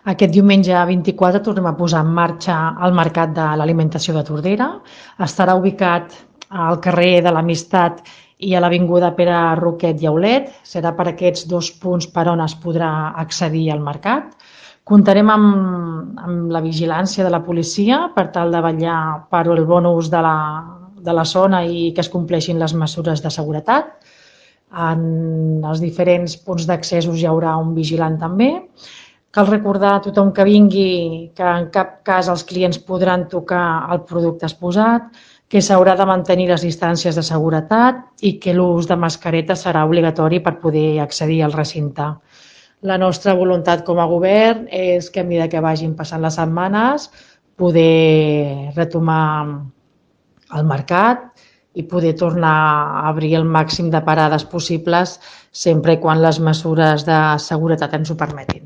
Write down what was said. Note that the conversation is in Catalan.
Aquest diumenge 24 tornem a posar en marxa el Mercat de l'Alimentació de Tordera. Estarà ubicat al carrer de l'Amistat i a l'avinguda Pere Roquet i Aulet. Serà per aquests dos punts per on es podrà accedir al mercat. Comptarem amb la vigilància de la policia per tal de vetllar per el bon ús de la zona i que es compleixin les mesures de seguretat. En els diferents punts d'accessos hi haurà un vigilant també. Cal recordar a tothom que vingui que en cap cas els clients podran tocar el producte exposat, que s'haurà de mantenir les distàncies de seguretat i que l'ús de mascareta serà obligatori per poder accedir al recinte. La nostra voluntat com a govern és que a mesura que vagin passant les setmanes poder retomar el mercat i poder tornar a obrir el màxim de parades possibles sempre i quan les mesures de seguretat ens ho permetin.